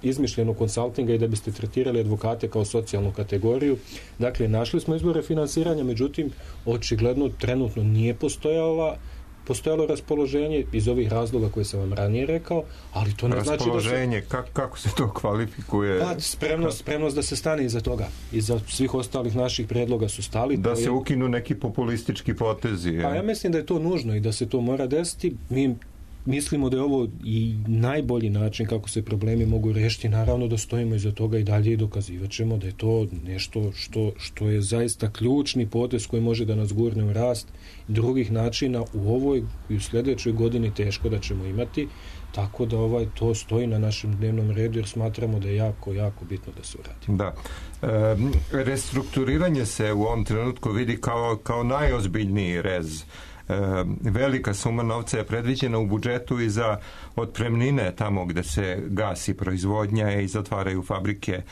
izmišljenog konsultinga i da biste tretirali advokate kao socijalnu kategoriju. Dakle, našli smo izbore finansiranja, međutim, očigledno trenutno nije postojala postojalo raspoloženje iz ovih razloga koje sam vam ranije rekao, ali to ne znači da se... Raspoloženje, kako, kako se to kvalifikuje? Pa, spremnost, spremnost da se stane iza toga. Iza svih ostalih naših predloga su stali. Da se je... ukinu neki populistički potezi. Je. Pa ja mislim da je to nužno i da se to mora desiti. Mi mislimo da je ovo i najbolji način kako se problemi mogu rešiti. Naravno da stojimo iza toga i dalje i dokazivat ćemo da je to nešto što, što je zaista ključni potez koji može da nas gurne u rast. Drugih načina u ovoj i u sljedećoj godini teško da ćemo imati, tako da ovaj to stoji na našem dnevnom redu jer smatramo da je jako, jako bitno da se uradi. Da. E, restrukturiranje se u ovom trenutku vidi kao, kao najozbiljniji rez. E, velika suma novca je predviđena u budžetu i za otpremnine tamo gde se gasi proizvodnja i zatvaraju fabrike. E,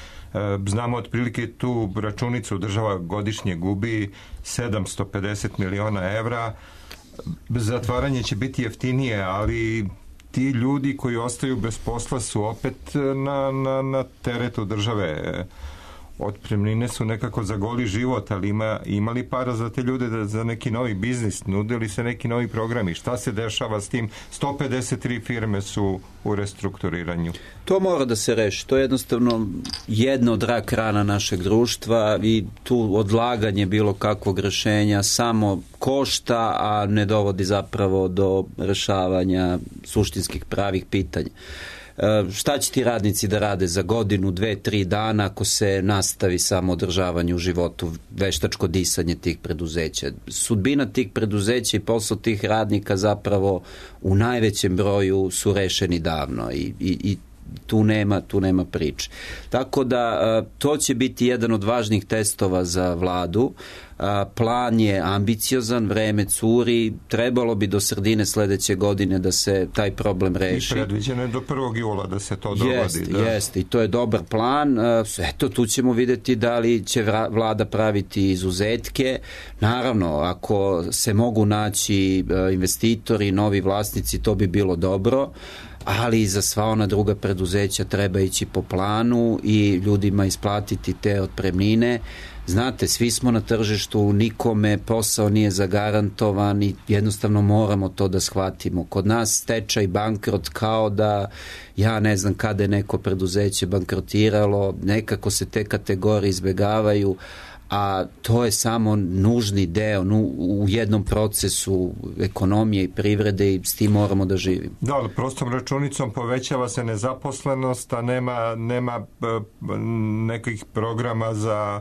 znamo otprilike tu računicu država godišnje gubi sedamsto pedeset miliona evra. Zatvaranje će biti jeftinije, ali ti ljudi koji ostaju bez posla su opet na, na, na teretu države. Otpremnine su nekako za goli život, ali ima, imali para za te ljude da, za neki novi biznis, nudili se neki novi programi. Šta se dešava s tim? sto pedeset tri firme su u restrukturiranju. To mora da se reši. To je jednostavno jedna od rak rana našeg društva i tu odlaganje bilo kakvog rešenja samo košta, a ne dovodi zapravo do rešavanja suštinskih pravih pitanja. Šta će ti radnici da rade za godinu, dve, tri dana ako se nastavi samo održavanje u životu, veštačko disanje tih preduzeća? Sudbina tih preduzeća i posao tih radnika zapravo u najvećem broju su rešeni davno i, i, i tu nema, tu nema priče. Tako da to će biti jedan od važnih testova za vladu. Plan je ambiciozan, vreme curi, trebalo bi do sredine sledeće godine da se taj problem reši. I predviđeno je do prvog jula da se to dogodi. Jeste, da. jeste, i to je dobar plan. Eto, tu ćemo vidjeti da li će vlada praviti izuzetke. Naravno, ako se mogu naći investitori, novi vlasnici, to bi bilo dobro, ali i za sva ona druga preduzeća treba ići po planu i ljudima isplatiti te otpremnine. znate, svi smo na tržištu, nikome posao nije zagarantovan i jednostavno moramo to da shvatimo. Kod nas stečaj, bankrot, kao da ja ne znam kada je neko preduzeće bankrotiralo, nekako se te kategorije izbegavaju, a to je samo nužni deo nu, u jednom procesu ekonomije i privrede i s tim moramo da živimo. Da, ali prostom računicom povećava se nezaposlenost, a nema, nema nekih programa za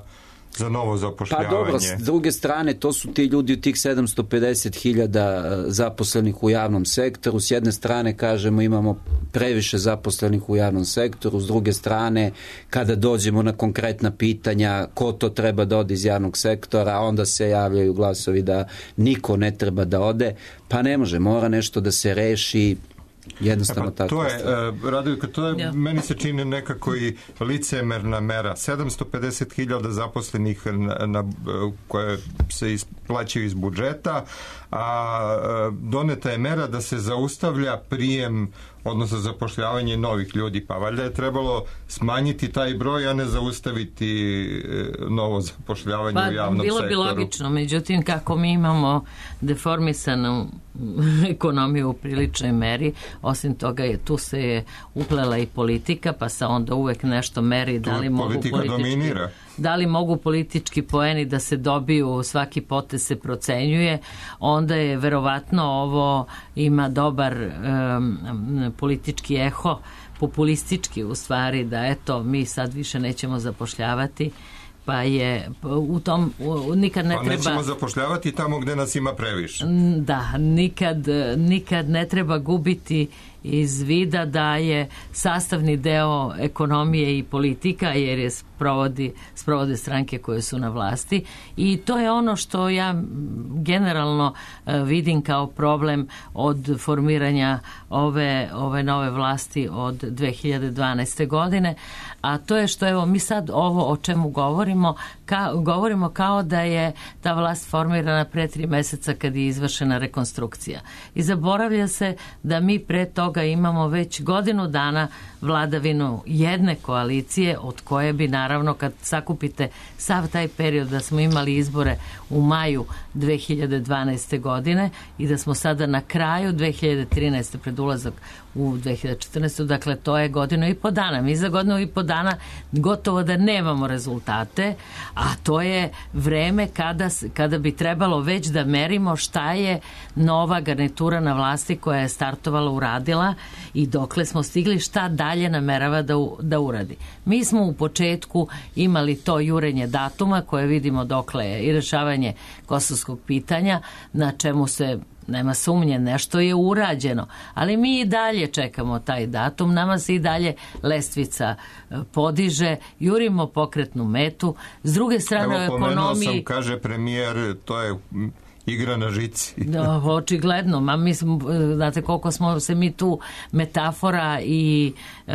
za novo zapošljavanje. Pa dobro, s druge strane, to su ti ljudi u tih sedamsto pedeset hiljada zaposlenih u javnom sektoru. S jedne strane, kažemo, imamo previše zaposlenih u javnom sektoru. S druge strane, kada dođemo na konkretna pitanja ko to treba da ode iz javnog sektora, onda se javljaju glasovi da niko ne treba da ode. Pa ne može, mora nešto da se reši. Jednostavno pa, tako. To je, uh, Radojka, to je, ja. meni se čini nekako i licemerna mera. sedamsto pedeset hiljada zaposlenih na, na, koje se isplaćaju iz budžeta, a doneta je mera da se zaustavlja prijem, odnosno zapošljavanje novih ljudi. Pa valjda je trebalo smanjiti taj broj, a ne zaustaviti novo zapošljavanje pa, u javnom bilo sektoru. Bilo bi logično, međutim kako mi imamo deformisanu ekonomiju u priličnoj meri, osim toga je tu se je uplela i politika, pa se onda uvek nešto meri da li mogu politički, dominira. Da li mogu politički poeni da se dobiju, svaki potez se procenjuje, onda je verovatno ovo ima dobar um, politički eho, populistički u stvari, da eto mi sad više nećemo zapošljavati, pa je u tom u, nikad ne pa treba... Pa nećemo zapošljavati tamo gde nas ima previše. Da, nikad, nikad ne treba gubiti iz vida da je sastavni deo ekonomije i politika, jer je sprovodi, sprovode stranke koje su na vlasti, i to je ono što ja generalno vidim kao problem od formiranja ove, ove nove vlasti od dve hiljade dvanaeste. godine, a to je što evo mi sad ovo o čemu govorimo, ka, govorimo kao da je ta vlast formirana pre tri meseca kad je izvršena rekonstrukcija. I zaboravlja se da mi pre toga imamo već godinu dana vladavinu jedne koalicije, od koje bi naravno kad sakupite sav taj period da smo imali izbore u maju dve hiljade dvanaeste. godine i da smo sada na kraju dve hiljade trinaeste. pred ulazak u dve hiljade četrnaestu. Dakle, to je godinu i po dana. Mi za godinu i po dana gotovo da nemamo rezultate, a to je vreme kada, kada bi trebalo već da merimo šta je nova garnitura na vlasti koja je startovala uradila i dokle smo stigli, šta dalje namerava da, da uradi. Mi smo u početku imali to jurenje datuma koje vidimo dokle je i rešavanje kosovskog pitanja, na čemu se nema sumnje, nešto je urađeno, ali mi i dalje čekamo taj datum, nama se i dalje lestvica podiže, jurimo pokretnu metu. S druge strane, evo, u ekonomiji... sam, kaže premijer, to je igra na žici. Da, očigledno, ma mi smo, znate koliko smo se mi tu metafora i e,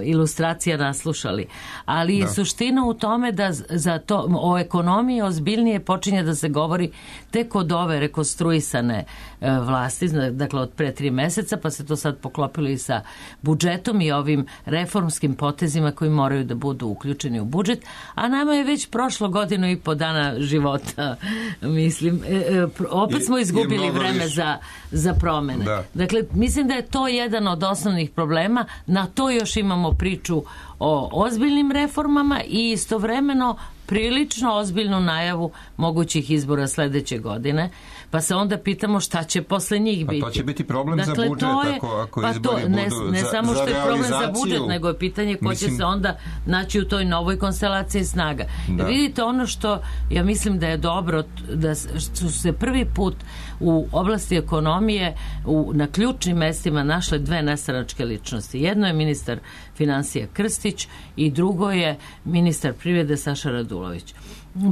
ilustracija naslušali. Ali da. Suština u tome da za to, o ekonomiji ozbiljnije počinje da se govori tek od ove rekonstruisane e, vlasti, dakle od pre tri meseca, pa se to sad poklopilo i sa budžetom i ovim reformskim potezima koji moraju da budu uključeni u budžet, a nama je već prošlo godinu i po dana života, mislim, e, e, opet smo izgubili vreme za, za promene. Da. Dakle, mislim da je to jedan od osnovnih problema. Na to još imamo priču o ozbiljnim reformama i istovremeno prilično ozbiljnu najavu mogućih izbora sledeće godine. Pa se onda pitamo šta će posle njih biti. A to će biti problem dakle, za budžet je, ako, ako pa izbori to, ne, budu ne za, samo što za je problem za budžet, nego je pitanje ko mislim, će se onda naći u toj novoj konstelaciji snaga. Da. Vidite, ono što ja mislim da je dobro, da su se prvi put u oblasti ekonomije u, na ključnim mestima našle dve nestranačke ličnosti. Jedno je ministar finansija Krstić i drugo je ministar privrede Saša Radulović.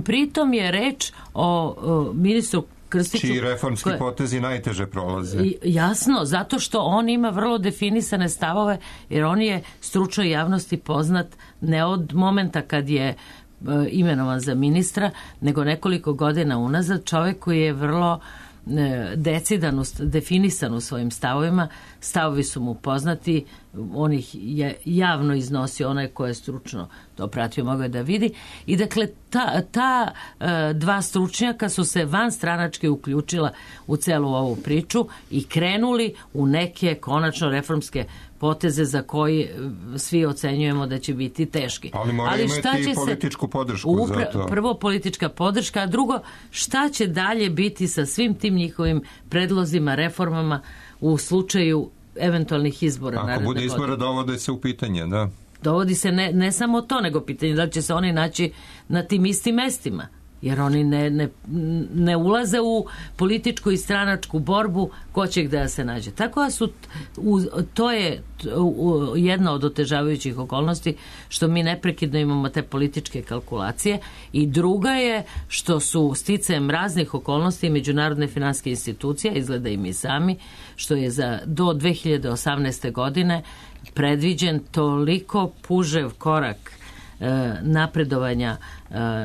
Pritom je reč o, o ministru Krstiću, čiji reformski koje, potezi najteže prolaze. Jasno, zato što on ima vrlo definisane stavove, jer on je stručnoj javnosti poznat ne od momenta kad je e, imenovan za ministra, nego nekoliko godina unazad, čovjek koji je vrlo e, decidan, definisan u svojim stavovima. Stavovi su mu poznati, on ih je javno iznosio, onaj ko je stručno to pratio mogao je da vidi. I dakle, ta, ta e, dva stručnjaka su se vanstranački uključila u celu ovu priču i krenuli u neke konačno reformske poteze za koji svi ocenjujemo da će biti teški. Ali mora Ali imati i političku se, podršku upra, za to. Prvo politička podrška, a drugo šta će dalje biti sa svim tim njihovim predlozima, reformama u slučaju eventualnih izbora. Ako bude izbora, dovode se u pitanje, da. Dovodi se ne, ne samo to, nego pitanje da će se oni naći na tim istim mestima. Jer oni ne, ne, ne ulaze u političku i stranačku borbu ko će gde se nađe. Tako da su, u, to je u, jedna od otežavajućih okolnosti što mi neprekidno imamo te političke kalkulacije i druga je što su sticajem raznih okolnosti međunarodne finansijske institucije, izgleda i mi sami, što je za do dve hiljade osamnaeste. godine predviđen toliko pužev korak napredovanja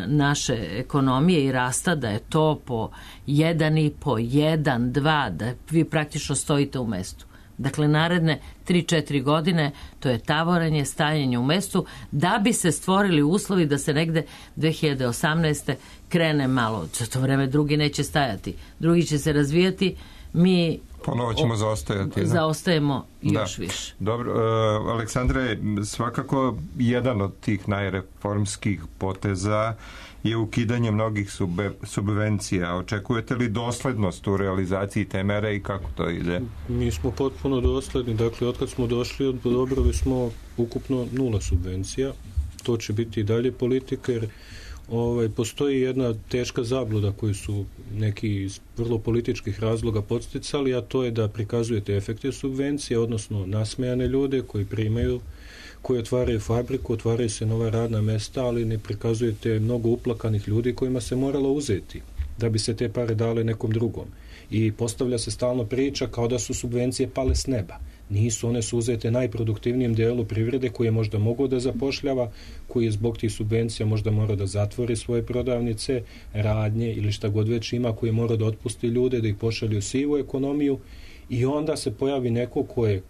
naše ekonomije i rasta da je to po jedan i po, jedan, dva, da vi praktično stojite u mestu. Dakle, naredne tri četiri godine to je tavoranje, stajanje u mestu da bi se stvorili uslovi da se negde dve hiljade osamnaeste. krene malo. Za to vreme drugi neće stajati. Drugi će se razvijati. Mi ponovo ćemo zaostajati. Zaostajemo da. još više. Dobro, uh, Aleksandre, svakako jedan od tih najreformskih poteza je ukidanje mnogih sube, subvencija. Očekujete li doslednost u realizaciji te mere i kako to ide? Mi smo potpuno dosledni. Dakle, otkad smo došli, odobrili smo ukupno nula subvencija. To će biti i dalje politika, jer Ovaj, postoji jedna teška zabluda koju su neki iz vrlo političkih razloga podsticali, a to je da prikazujete efekte subvencije, odnosno nasmejane ljude koji primaju, koji otvaraju fabriku, otvaraju se nova radna mesta, ali ne prikazujete mnogo uplakanih ljudi kojima se moralo uzeti da bi se te pare dale nekom drugom. I postavlja se stalno priča kao da su subvencije pale s neba. Nisu, one su uzete najproduktivnijem delu privrede koji je možda mogao da zapošljava, koji je zbog tih subvencija možda mora da zatvori svoje prodavnice, radnje ili šta god već ima, koji je mora da otpusti ljude, da ih pošalje u sivu ekonomiju i onda se pojavi neko ko je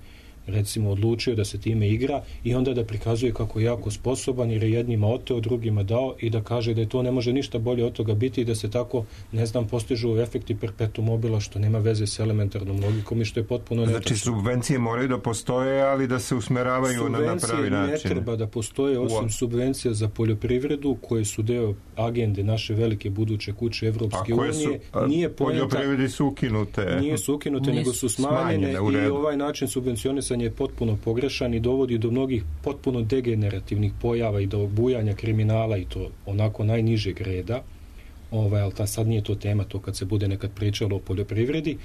recimo odlučio da se time igra i onda da prikazuje kako je jako sposoban jer je jednima oteo, drugima dao i da kaže da je to ne može ništa bolje od toga biti i da se tako, ne znam, postižu efekti perpetuum mobila što nema veze s elementarnom logikom i što je potpuno netačno. Znači subvencije moraju da postoje, ali da se usmeravaju na, na pravi način. Subvencije ne treba da postoje osim subvencija za poljoprivredu koje su deo agende naše velike buduće kuće Evropske unije. Su, a, nije poljoprivredi su ukinute. Nije su ukinute, Nis, nego su smanjene, smanjene i ovaj način subvencionisanja je potpuno pogrešan i dovodi do mnogih potpuno degenerativnih pojava i do bujanja kriminala i to onako najnižeg reda. Ovaj, ali ta, sad nije to tema, to kad se bude nekad pričalo o poljoprivredi.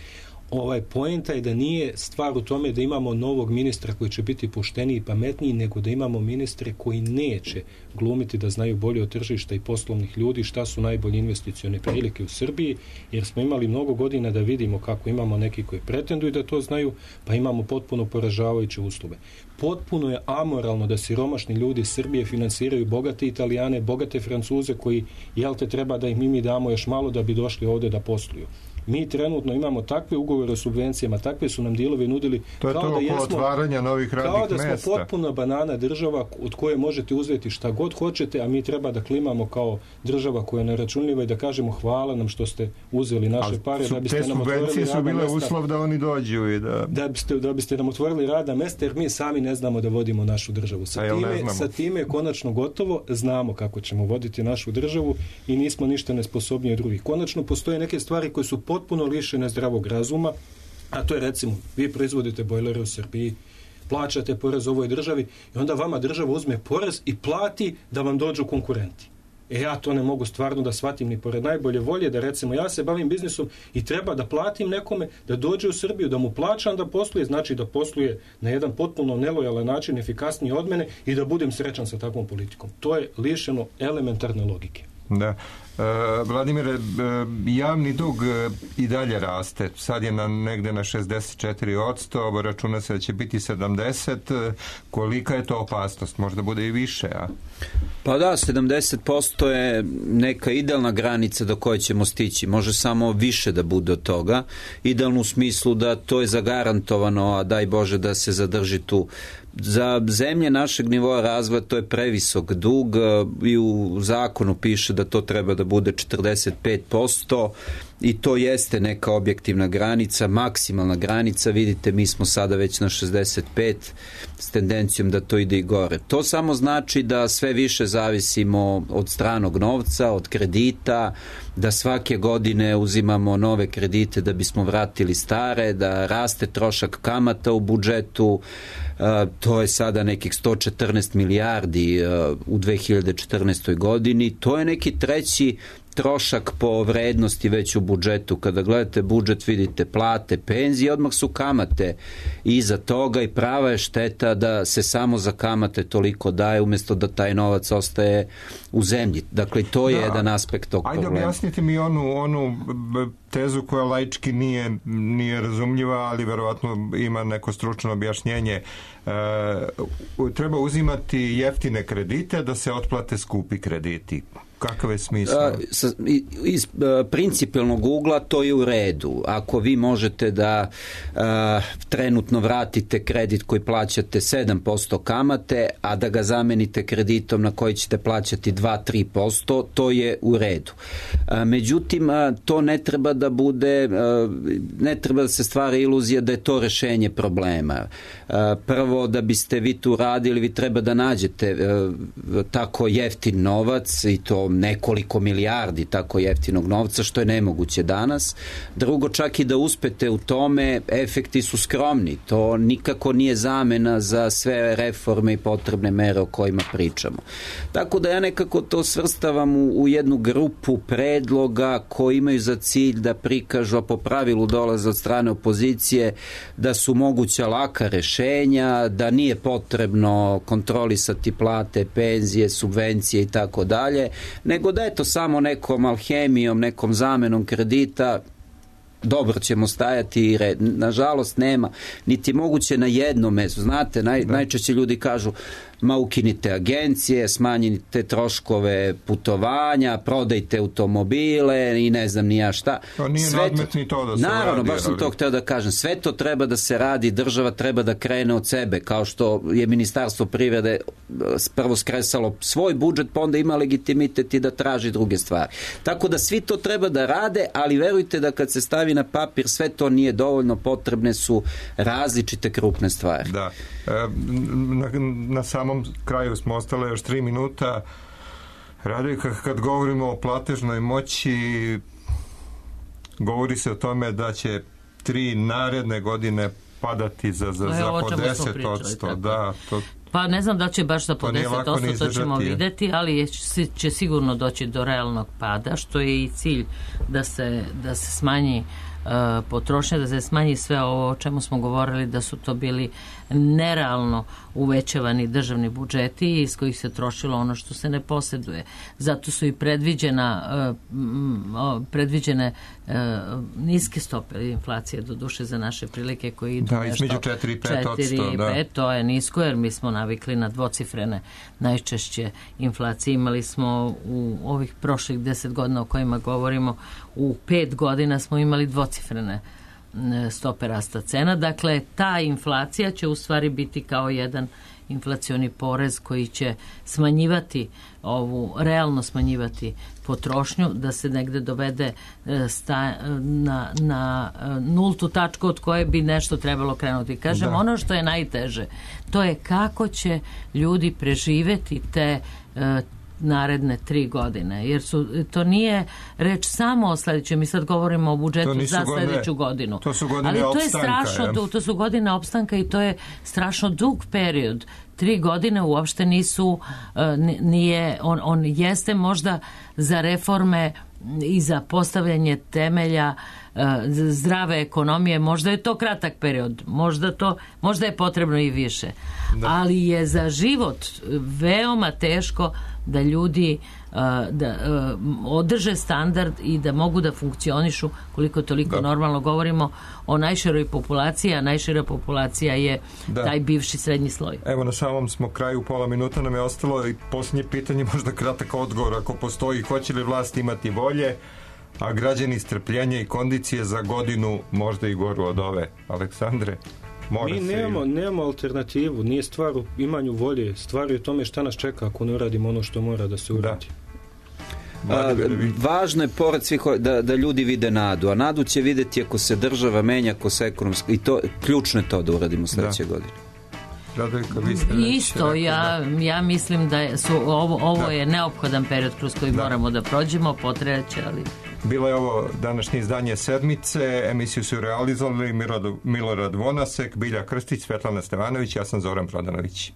Ovaj, poenta je da nije stvar u tome da imamo novog ministra koji će biti pošteniji i pametniji, nego da imamo ministre koji neće glumiti da znaju bolje od tržišta i poslovnih ljudi šta su najbolje investicione prilike u Srbiji, jer smo imali mnogo godina da vidimo kako imamo neki koji pretenduju da to znaju, pa imamo potpuno poražavajuće uslove. Potpuno je amoralno da siromašni ljudi Srbije finansiraju bogate Italijane, bogate Francuze koji, jel te, treba da im mi damo još malo da bi došli ovde da posluju. Mi trenutno imamo takve ugovore o subvencijama, takve su nam dilovi nudili to je kao to da jesmo, otvaranja novih radnih kao da smo mesta. potpuno banana država od koje možete uzeti šta god hoćete, a mi treba da klimamo kao država koja je neračunljiva i da kažemo hvala nam što ste uzeli naše ali pare. Su, da biste te nam subvencije su bile mesta, uslov da oni dođu i da... Da biste, da biste nam otvorili radna mesta, jer mi sami ne znamo da vodimo našu državu. Sa time, sa time je konačno gotovo, znamo kako ćemo voditi našu državu i nismo ništa nesposobniji od drugih. Konačno postoje neke stvari koje su potpuno lišene zdravog razuma, a to je recimo, vi proizvodite bojlere u Srbiji, plaćate porez ovoj državi i onda vama država uzme porez i plati da vam dođu konkurenti. E ja to ne mogu stvarno da shvatim ni pored najbolje volje, da recimo ja se bavim biznisom i treba da platim nekome da dođe u Srbiju, da mu plaćam da posluje, znači da posluje na jedan potpuno nelojalan način, efikasniji od mene i da budem srećan sa takvom politikom. To je lišeno elementarne logike. Da. Vladimire, javni dug i dalje raste. Sad je na, negde na šezdeset četiri posto, računa se da će biti sedamdeset. Kolika je to opasnost? Možda bude i više, a? Pa da, sedamdeset posto je neka idealna granica do koje ćemo stići. Može samo više da bude od toga. Idealno u smislu da to je zagarantovano, a daj Bože da se zadrži tu. Za zemlje našeg nivoa razvoja to je previsok dug i u zakonu piše da to treba da bude četrdeset pet posto i to jeste neka objektivna granica, maksimalna granica. Vidite, mi smo sada već na šezdeset pet s tendencijom da to ide i gore. To samo znači da sve više zavisimo od stranog novca, od kredita, da svake godine uzimamo nove kredite da bismo vratili stare, da raste trošak kamata u budžetu. Uh, to je sada nekih sto četrnaest milijardi uh, u dve hiljade četrnaestoj godini. To je neki treći trošak po vrednosti već u budžetu. Kada gledate budžet vidite plate, penzije, odmah su kamate iza toga i prava je šteta da se samo za kamate toliko daje umjesto da taj novac ostaje u zemlji. Dakle, to je da, jedan aspekt tog ajde problema. Ajde objasnite mi onu, onu tezu koja laički nije, nije razumljiva, ali verovatno ima neko stručno objašnjenje. E, treba uzimati jeftine kredite da se otplate skupi krediti. Kakav je smisao? Iz principijelnog ugla to je u redu. Ako vi možete da a, trenutno vratite kredit koji plaćate sedam posto kamate, a da ga zamenite kreditom na koji ćete plaćati dva do tri posto, to je u redu. A, međutim, a, to ne treba da bude, a, ne treba da se stvara iluzija da je to rešenje problema. A, prvo, da biste vi tu radili, vi treba da nađete a, tako jeftin novac i to nekoliko milijardi tako jeftinog novca, što je nemoguće danas. Drugo, čak i da uspete u tome, efekti su skromni. To nikako nije zamena za sve reforme i potrebne mere o kojima pričamo. Tako da ja nekako to svrstavam u, u jednu grupu predloga koji imaju za cilj da prikažu, a po pravilu dolaze od strane opozicije, da su moguća laka rešenja, da nije potrebno kontrolisati plate, penzije, subvencije i tako dalje, nego da je to samo nekom alhemijom, nekom zamenom kredita, dobro ćemo stajati i red. Nažalost nema, niti moguće na jednom mestu. Znate, naj, najčešće ljudi kažu ma ukinite agencije, smanjite troškove putovanja, prodajte automobile i ne znam ni ja šta. To nije sve nadmetni to da se naravno, radi. baš sam ali... to hteo da kažem. Sve to treba da se radi, država treba da krene od sebe, kao što je Ministarstvo privrede prvo skresalo svoj budžet, pa onda ima legitimitet i da traži druge stvari. Tako da svi to treba da rade, ali verujte da kad se stavi na papir sve to nije dovoljno, potrebne su različite krupne stvari. Da. E, na, na samom kraju smo ostale još tri minuta. Radojka, kad govorimo o platežnoj moći, govori se o tome da će tri naredne godine padati za, za, za po deset posto. Da, to... Pa ne znam da će baš za po deset posto, to ćemo vidjeti, ali će sigurno doći do realnog pada, što je i cilj da se, da se smanji uh, potrošnja, da se smanji sve ovo o čemu smo govorili, da su to bili nerealno uvećavani državni budžeti iz kojih se trošilo ono što se ne posjeduje. Zato su i predviđena uh, predviđene uh, niske stope inflacije, do duše za naše prilike koji idu da, nešto između četiri i pet odsto, da. To je nisko, jer mi smo navikli na dvocifrene najčešće inflacije. Imali smo u ovih prošlih deset godina o kojima govorimo, u pet godina smo imali dvocifrene stope rasta cena. Dakle, ta inflacija će u stvari biti kao jedan inflacioni porez koji će smanjivati ovu, realno smanjivati potrošnju, da se negde dovede sta, na, na nultu tačku od koje bi nešto trebalo krenuti. Kažem, da. Ono što je najteže, to je kako će ljudi preživeti te naredne tri godine, jer su, to nije reč samo o sledećem, mi sad govorimo o budžetu za sledeću godinu. To su godine ali to opstanka, je strašno, to, to su godine opstanka i to je strašno dug period. Tri godine uopšte nisu, nije, on, on jeste možda za reforme i za postavljanje temelja zdrave ekonomije, možda je to kratak period, možda, to, možda je potrebno i više. Da. Ali je za život veoma teško da ljudi da održe standard i da mogu da funkcionišu koliko toliko da. Normalno. Govorimo o najširoj populaciji, a najšira populacija je da. Taj bivši srednji sloj. Evo, na samom smo kraju, pola minuta nam je ostalo i posljednje pitanje, možda kratak odgovor, ako postoji, hoće li vlast imati volje, a građani strpljenja i kondicije za godinu možda i goru od ove. Aleksandre? Mora Mi nemamo, i... nemamo alternativu, nije stvar u imanju volje, stvar je u tome šta nas čeka ako ne uradimo ono što mora da se uradi. Da. A, važno je pored svih da, da ljudi vide nadu, a nadu će vidjeti ako se država menja, ako se ekonomski, i to ključno je to da uradimo sljedeće da. Godine. Radojka, vi ste isto, rekli, ja, da. ja mislim da su, ovo, ovo da. Je neophodan period kroz koji da. Moramo da prođemo, potreće, ali... Bilo je ovo današnje izdanje Sedmice, emisiju su realizovali Milorad Vonasek, Bilja Krstić, Svetlana Stevanović, ja sam Zoran Prodanović.